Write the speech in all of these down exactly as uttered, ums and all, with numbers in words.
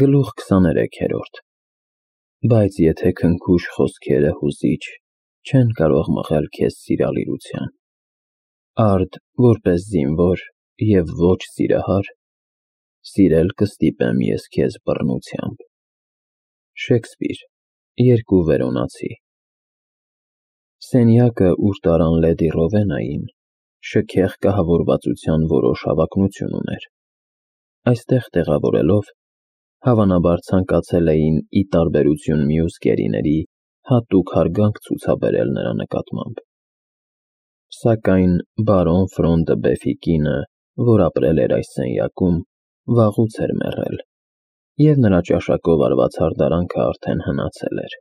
Գլուխ քսաներեքերորդ Բայց եթե քնքուշ խոսքերը հուզիչ չեն կարող մղել քեզ սիրալիրության, արդ որպես զինվոր և ոչ սիրահար, սիրել կստիպեմ ես քեզ բռնությամբ։ Շեքսպիր, Երկու Վերոնացի Սենյակը, ուր տարան լեդի Ռովենային, շքեղ կահավորվածության որոշ հավակնություն ուներ։ Այստեղ տեղավորելով, հավանաբար ցանկացել էին, ի տարբերություն մյուս գերիների, հատուկ հարգանք ցուցաբերել նրա նկատմամբ։ Սակայն բարոն Ֆրոն դը Բեֆի կինը, որ ապրել էր այս սենյակում, վաղուց էր մեռել, և նրա ճաշակով արված հարդարանքը արդեն հնացել էր։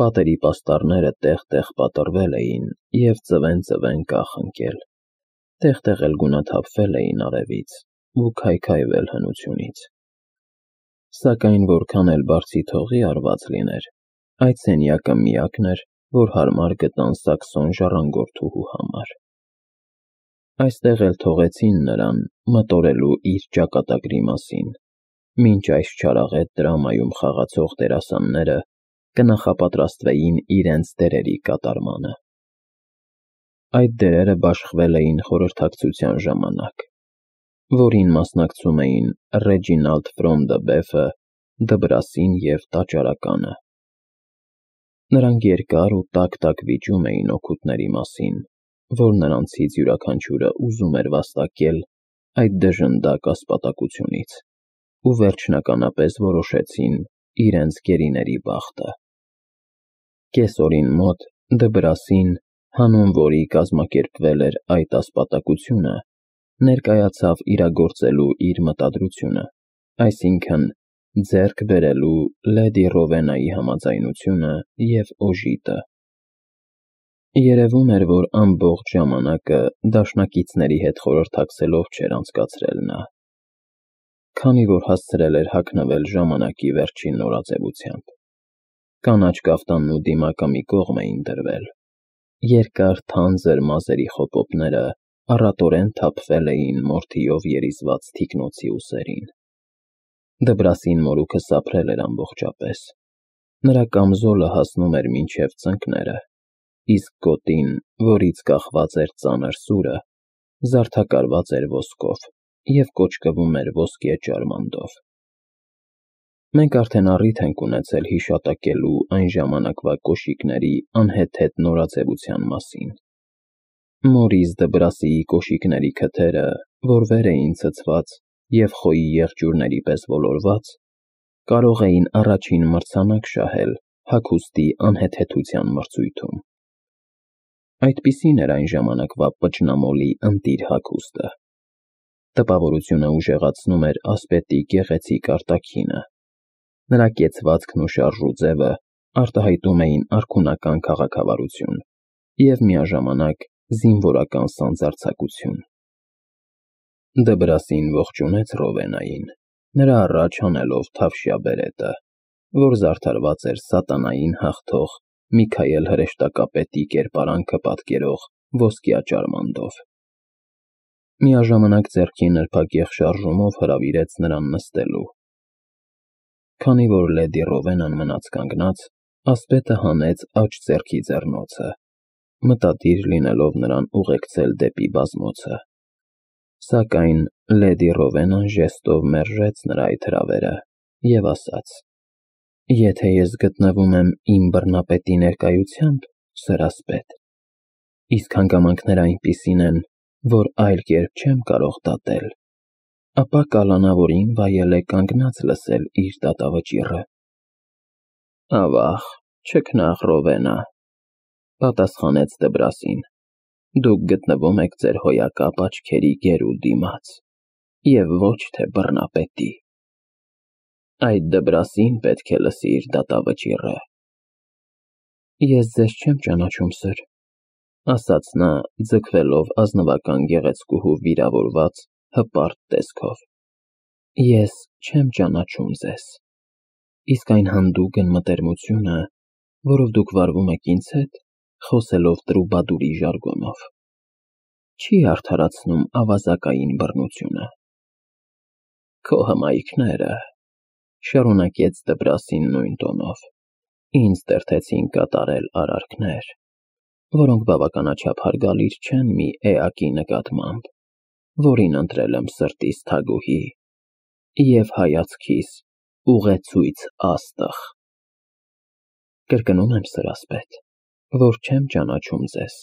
Պատերի պաստառները տեղ-տեղ պատռվել էին և ծվեն-ծվեն կախ ընկել, տեղ-տեղ էլ գունաթափվել էին արևից ու քայքայվել հնությունից։ Սակայն որքան էլ բարձի թողի արված լիներ, այդ սենյակը միակն էր, որ հարմար գտան սաքսոն ժառանգորդուհու համար։ Այստեղ էլ թողեցին նրան մտորելու իր ճակատագրի մասին, մինչ այս չարաղետ դրամայում խաղացող դերասանները կնախապատրաստվեին իրենց դերերի կատարմանը։ Այդ դերերը բաշխվել էին խորհրդակցության ժամանակ, որին մասնակցում էին Ռեջինալդ Ֆրոն դը Բեֆը, Դբրասին և տաճարականը։ Նրանք երկար ու տաք-տաք վիճում էին օգուտների մասին, որ նրանցից յուրաքանչյուրը ուզում էր վաստակել այդ դժնդակ ասպատակությունից, ու վերջնականապես որոշեցին իրենց գերիների բախտը։ Կեսօրին մոտ Դբրասին, հանուն որի կազմակերպվել էր այդ ասպատակությունը, ներկայացավ իրագործելու իր մտադրությունը, այսինքն՝ ձեռք բերելու լեդի Ռովենայի համաձայնությունը և օժիտը։ Երևում էր, որ ամբողջ ժամանակը դաշնակիցների հետ խորհրդակցելով չէր անցկացրել նա, քանի որ հասցրել էր հագնվել ժամանակի վերջին նորաձևությամբ։ Կանաչ կաֆտանն ու դիմակը մի կողմ էին դրվել, երկար թանձր մազերի խոպոպները առատորեն թափվել էին մորթիով երիզված թիկնոցի ուսերին։ Դբրասին մորուքը սափրել էր ամբողջապես։ Նրա կամզոլը հասնում էր մինչև ծնկները, իսկ գոտին, որից կախված էր ծանր սուրը, զարդակարված էր ոսկով և կոճկվում էր ոսկե ջարմանդով։ Մենք արդեն առիթ ենք ունեցել հիշատակելու այն ժամանակվա կոշիկների անհեթեթ նորաձևության մասին։ Մորիս Դբրասիի կոշիկների քթերը, որ վեր էին ցցված և խոյի եղջյուրների պես ոլորված, կարող էին առաջին մրցանակ շահել հագուստի անհեթեթության մրցույթում։ Այդպիսին էր այն ժամանակվա պճնամոլի ընտիր հագուստը։ Տպավորությունը ուժեղացնում էր ասպետի գեղեցիկ արտաքինը։ Նրա կեցվածքն ու շարժու ձևը արտահայտում էին արքունական քաղաքավարություն և միաժամանակ զինվորական սանձարձակություն։ Դբրասին ողջունեց Ռովենային, նրա առաջ հանելով թավշյա բերետը, որ զարդարված էր սատանային հաղթող Միքայել հրեշտակապետի կերպարանքը պատկերող ոսկյա ջարմանդով։ Միաժամանակ ձեռքի նրբագեղ շարժումով հրավիրեց նրան նստելու։ Քանի որ լեդի Ռովենան մնաց կանգնած, ասպետը հանեց աջ ձեռքի ձեռնոցը, մտադիր լինելով նրան ուղեկցել դեպի բազմոցը։ Սակայն լեդի Ռովենան ժեստով մերժեց նրա այդ հրավերը և ասաց. «Եթե ես գտնվում եմ իմ բռնապետի ներկայությամբ, սրասպետ, իսկ հանգամանքներն այնպիսին են, որ այլ կերպ չեմ կարող դատել, ապա կալանա, որ ինձ վայել է կանգնած լսել իր դատավճիռը»։ «Ավա՜ղ, չքնաղ Ռովենա», պատասխանեց Դբրասին, «դուք գտնվում եք ձեր հոյակապ աչքերի գերու դիմաց և ոչ թե բռնապետի։ Այդ Դբրասին պետք է լսի իր դատավճիռը»։ «Ես ձեզ չեմ ճանաչում, սըր», ասաց նա, ձգվելով ազնվական գեղեցկուհու վիրավորված, հպարտ տեսքով։ «Ես չեմ ճանաչում ձեզ, իսկ այն հանդուգն մտերմությունը, որով դուք վարվում եք ինձ հետ, խոսելով տրուբադուրի ժարգոնով, չի արդարացնում ավազակային բռնությունը։ Քո հմայքները Շարունակեց Դբրասին նույն տոնով. Ինձ դրդեցին կատարել արարքներ, որոնք բավականաչափ հարգալից չեն մի էակի նկատմամբ, որին ընտրել եմ սրտիս թագուհի և հայացքիս ուղեցույց աստղ։ Կրկնում եմ, սրասպետ, որ չեմ ճանաչում ձեզ,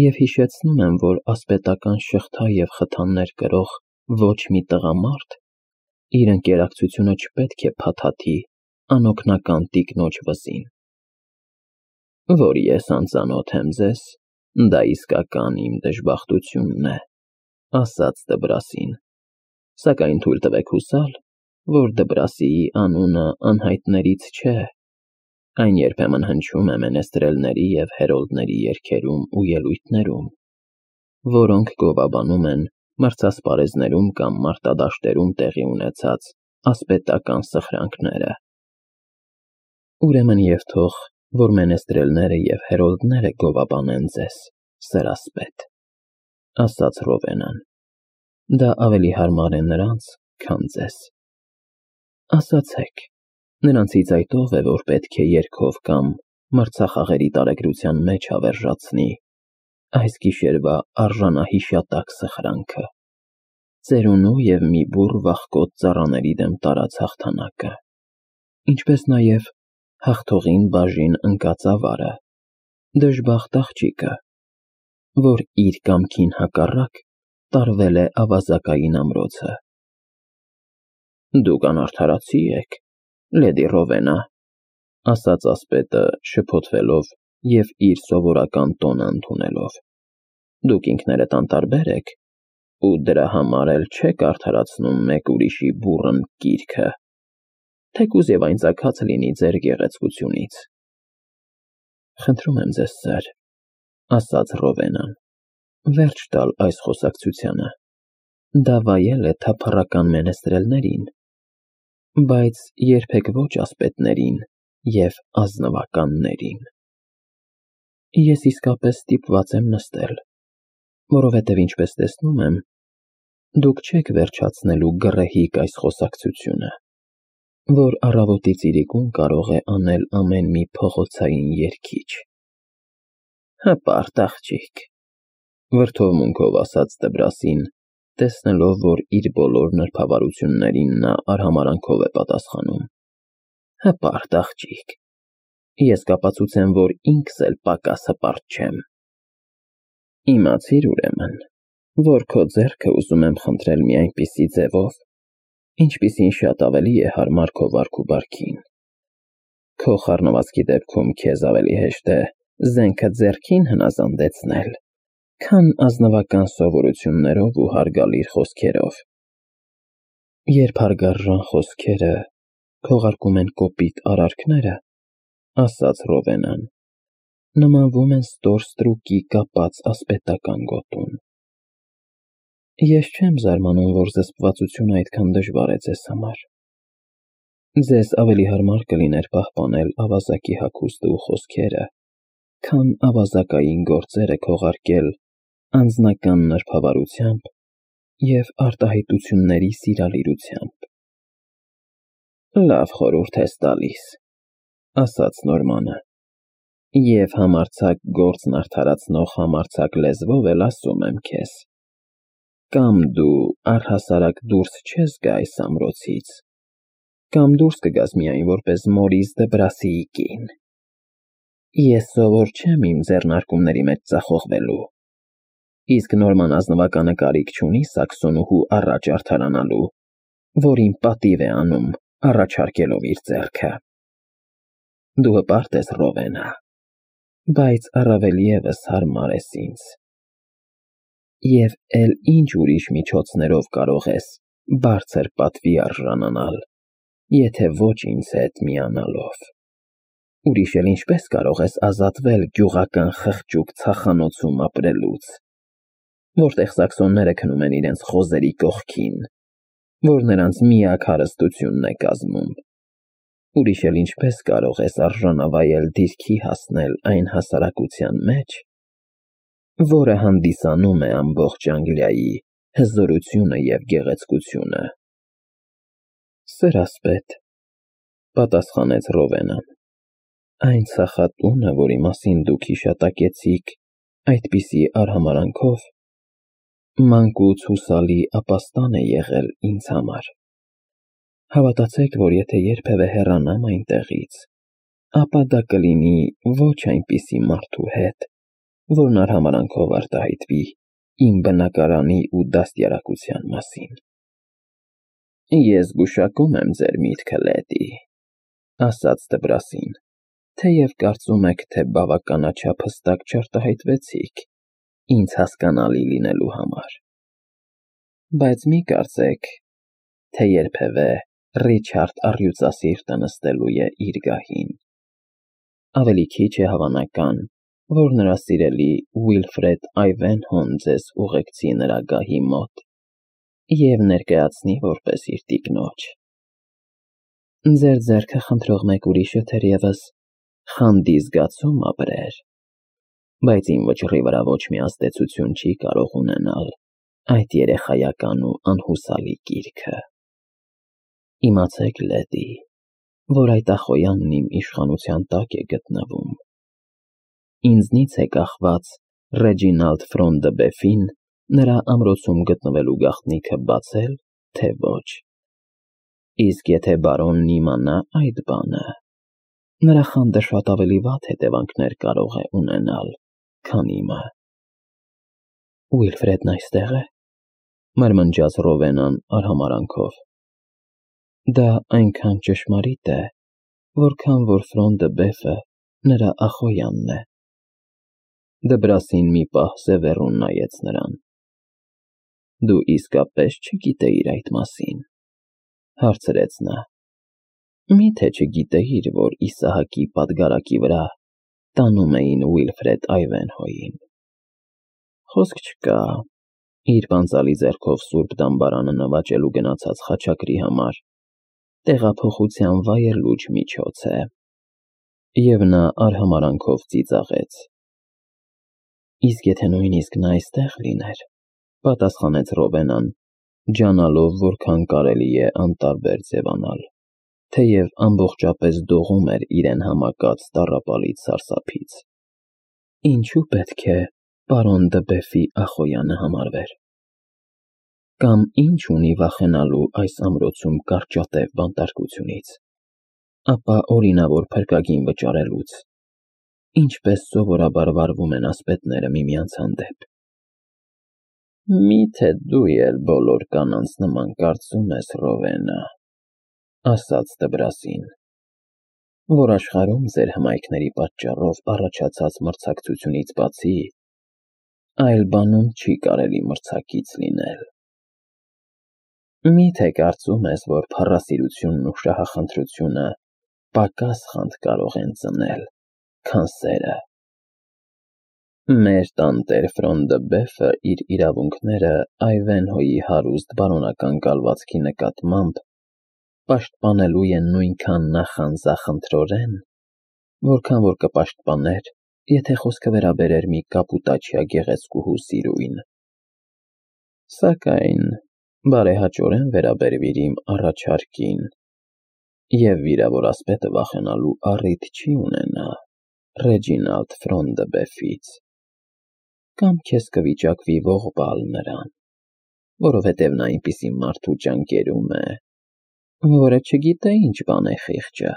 և հիշեցնում եմ, որ ասպետական շղթա և խթաններ կրող ոչ մի տղամարդ իր ընկերակցությունը չպետք է փաթաթի անօգնական տիկնոջ վզին։ Որ ես անծանոթ եմ ձեզ, դա իսկական իմ դժբախտությունն է, ասաց Դբրասին, սակայն թույլ տվեք հուսալ, որ Դբրասիի անունը անհայտներից չէ, այն երբեմն հնչում է մենեստրելների և հերոլդների երգերում ու ելույթներում, որոնք գովաբանում են մրցասպարեզներում կամ մարտադաշտերում տեղի ունեցած ասպետական սխրանքները։ Ուրեմն և թող, որ մենեստրելները և հերոլդները գովաբանեն ձեզ, սրասպետ, ասաց Ռովենան, դա ավելի հարմար է նրանց, քան ձեզ։ Ասացեք, նրանցից այդ ով է, որ պետք է երգով կամ մրցախաղերի տարեգրության մեջ հավերժացնի այս գիշերվա արժանահիշատակ սխրանքը, ծերունու և մի բուռ վախկոտ ծառաների դեմ տարած հաղթանակը, ինչպես նաև հաղթողին բաժին ընկած ավարը, դժբախտ աղջիկը, որ իր կամքին հակառակ տարվել է ավազակային ամրոցը։ Դուք անարդարացի եք, լեդի Ռովենա, ասաց ասպետը շփոթվելով և իր սովորական տոնը ընդունելով, դուք ինքներդ անտարբեր եք ու դրա համար էլ չեք արդարացնում մեկ ուրիշի բուռն կիրքը, թեկուզ և այն ծագած լինի ձեր գեղեցկությունից։ Խնդրում եմ ձեզ, սըր, ասաց Ռովենան, վերջ տալ այս խոսակցությանը, դա վայել է թափառական մենեստրելներին, բայց երբեք ոչ ասպետներին և ազնվականներին։ Ես իսկապես ստիպված եմ նստել, որովհետև ինչպես տեսնում եմ, դուք չեք վերջացնելու գռեհիկ այս խոսակցությունը, որ առավոտից իրիկուն կարող է անել ամեն մի փողոցային երգիչ։ Հպարտ աղջիկ, վրդովմունքով ասաց Դբրասին, տեսնելով, որ իր բոլոր նրբավարություններին նա արհամարհանքով է պատասխանում։ Հպարտ աղջիկ, ես կապացուցեմ, որ ինքս էլ պակաս հպարտ չեմ։ Իմացիր ուրեմն, որ քո ձեռքը ուզում եմ խնդրել մի այնպիսի ձևով, ինչպիսին շատ ավելի է հարմար քո վարք ու բարքին։ Քո խառնվածքի դեպքում քեզ ավելի հեշտ է զենքը ձեռքին հնազանդեցնել, քան ազնվական սովորություններով ու հարգալիր խոսքերով։ Երբ հարգարժան խոսքերը քողարկում են կոպիտ արարքները, ասաց Ռովենան, նմանվում են ստոր ստրուկի կապած ասպետական գոտուն։ Ես չեմ զարմանում, որ զսպվածությունը այդքան դժվար է ձեզ համար։ Ձեզ ավելի հարմար կլիներ պահպանել ավազակի հագուստը ու խոսքերը, քան ավազակային գործերը քողարկել անձնական նրբավարությամբ և արտահայտությունների սիրալիրությամբ։ Լավ խորհուրդ ես տալիս, ասաց Նորմանը, և համարձակ գործն արդարացնող համարձակ լեզվով էլ ասում եմ քեզ. կամ դու առհասարակ դուրս չես գա այս ամրոցից, կամ դուրս կգաս միայն որպես Մորիս Դբրասիի կին։ Ես սովոր չեմ իմ ձեռնարկումների մեջ ձախողվելու, իսկ Նորման ազնվականը կարիք չունի սաքսոնուհու առաջ արդարանալու, որին պատիվ է անում առաջարկելով իր ձեռքը։ Դու հպարտ ես, Ռովենա, բայց առավել ևս հարմար ես ինձ։ Եվ էլ ինչ ուրիշ միջոցներով կարող ես բարձր պատվի արժանանալ, եթե ոչ ինձ հետ միանալով։ Ուրիշ էլ ինչպես կարող ես ազատվել գյուղական խղճուկ ցախանոցում ապրելուց, որտեղ սաքսոնները քնում են իրենց խոզերի կողքին, որ նրանց միակ հարստությունն է կազմում։ Ուրիշ էլ ինչպես կարող ես արժանավայել դիրքի հասնել այն հասարակության մեջ, որը հանդիսանում է ամբողջ Անգլիայի հզորությունը և գեղեցկությունը։ Սրասպետ, պատասխանեց Ռովենան, այն ցախատունը, որի մասին դուք հիշատակեցիք այդպիսի արհամարանքով, մանկուց հուսալի ապաստան է եղել ինձ համար։ Հավատացեք, որ եթե երբևէ հեռանամ այնտեղից, ապա դա կլինի ոչ այնպիսի մարդու հետ, որն արհամարանքով արտահայտվի իմ բնակարանի ու դաստիարակության մասին։ Ես գուշակում եմ ձեր միտքը, լեդի, ասաց Դբրասին, թեև կարծում եք, թե բավականաչափ հստակ չարտահայտվեցիք ինձ հասկանալի լինելու համար։ Բայց մի կարծեք, թե երբևէ Ռիչարդ առյուծասիրտը նստելու է իր գահին։ Ավելի քիչ է հավանական, որ նրա սիրելի Ուիլֆրեդ Այվենհոն ձեզ ուղեկցի նրա գահի մոտ և ներկայացնի որպես իր տիկնոջ։ Ձեր ձեռքը խնդրող մեկ ուրիշը թերևս խանդի զգացում ապրեր, բայց իմ վճռի վրա ոչ մի ազդեցություն չի կարող ունենալ այդ երեխայական ու անհուսալի կիրքը։ Իմացեք, լեդի, որ այդ ախոյանն իմ իշխանության տակ է գտնվում։ Ինձնից է կախված Ռեջինալդ Ֆրոնդըբեֆին նրա ամրոցում գտնվելու գաղտնիքը բացել, թե ոչ։ Իսկ եթե բարոնն իմանա այդ բանը, նրա խանդը շատ ավելի վատ հետևանքներ կարող է ունենալ, քան իմը։ Ուիլֆրեդն այստեղ է, մրմնջաց Ռովենան արհամարանքով։ Դա այնքան ճշմարիտ է, որքան որ Ֆրոնդըբեֆը նրա ախոյանն է։ Դբրասին մի պահ սևեռուն նայեց նրան։ Դու իսկապես չգիտեիր այդ մասին, հարցրեց նա։ Մի՞թե չգիտեիր, որ Իսահակի պատգարակի վրա տանում էին Ուիլֆրեդ Այվենհոյին։ Խոսք չկա, իր պանծալի ձեռքով Սուրբ Դամբարանը նվաճելու գնացած խաչակրի համար տեղափոխության վայելուչ միջոց է։ Եվ նա արհամարանքով ծիծաղեց։ Իսկ եթե նույնիսկ նա այստեղ լիներ, պատասխանեց Ռովենան, ջանալով, որքան կարելի է անտարբեր ձևանալ, թեև ամբողջապես դողում էր իրեն համակած տառապալից սարսափից։ Ինչու պետք է պարոն Դբեֆի ախոյանը համարվեր։ Կամ ինչ ունի վախենալու այս ամրոցում կարճատև բանտարկությունից, ապա օրինավոր փրկագին վճարելուց, ինչպես սովորաբար վարվում են ասպետները միմյանց հանդեպ։ Մի՞թե դու էլ բոլոր կանանց նման կարծում ես, Ռովենա, ասաց Դբրասին, որ աշխարհում ձեր հմայքների պատճառով առաջացած մրցակցությունից բացի այլ բանում չի կարելի մրցակից լինել։ Մի՞թե կարծում ես, որ փառասիրությունն ու շահախնդրությունը պակաս խանդ կարող են ծնել, քան սերը։ Մեր տանտեր Ֆրոնդըբեֆը իր իրավունքները Այվենհոյի հարուստ բարոնական կալվածքի նկատմամբ պաշտպանելու է նույնքան նախանձախնդրորեն, որքան որ կպաշտպաներ, եթե խոսքը վերաբերեր մի կապուտաչյա գեղեցկուհու սիրուին։ Սակայն բարեհաճորեն վերաբերվիր իմ առաջարկին, և վիրավոր ասպետը վախենալու առիթ չի ունենա Ռեջինալդ Ֆրոնդըբեֆից, կամ քեզ կվիճակվի ողբալ նրան, որովհետև նա այնպիսի մարդու ճանկերում է, որը չգիտե ինչ բան է խիղճը։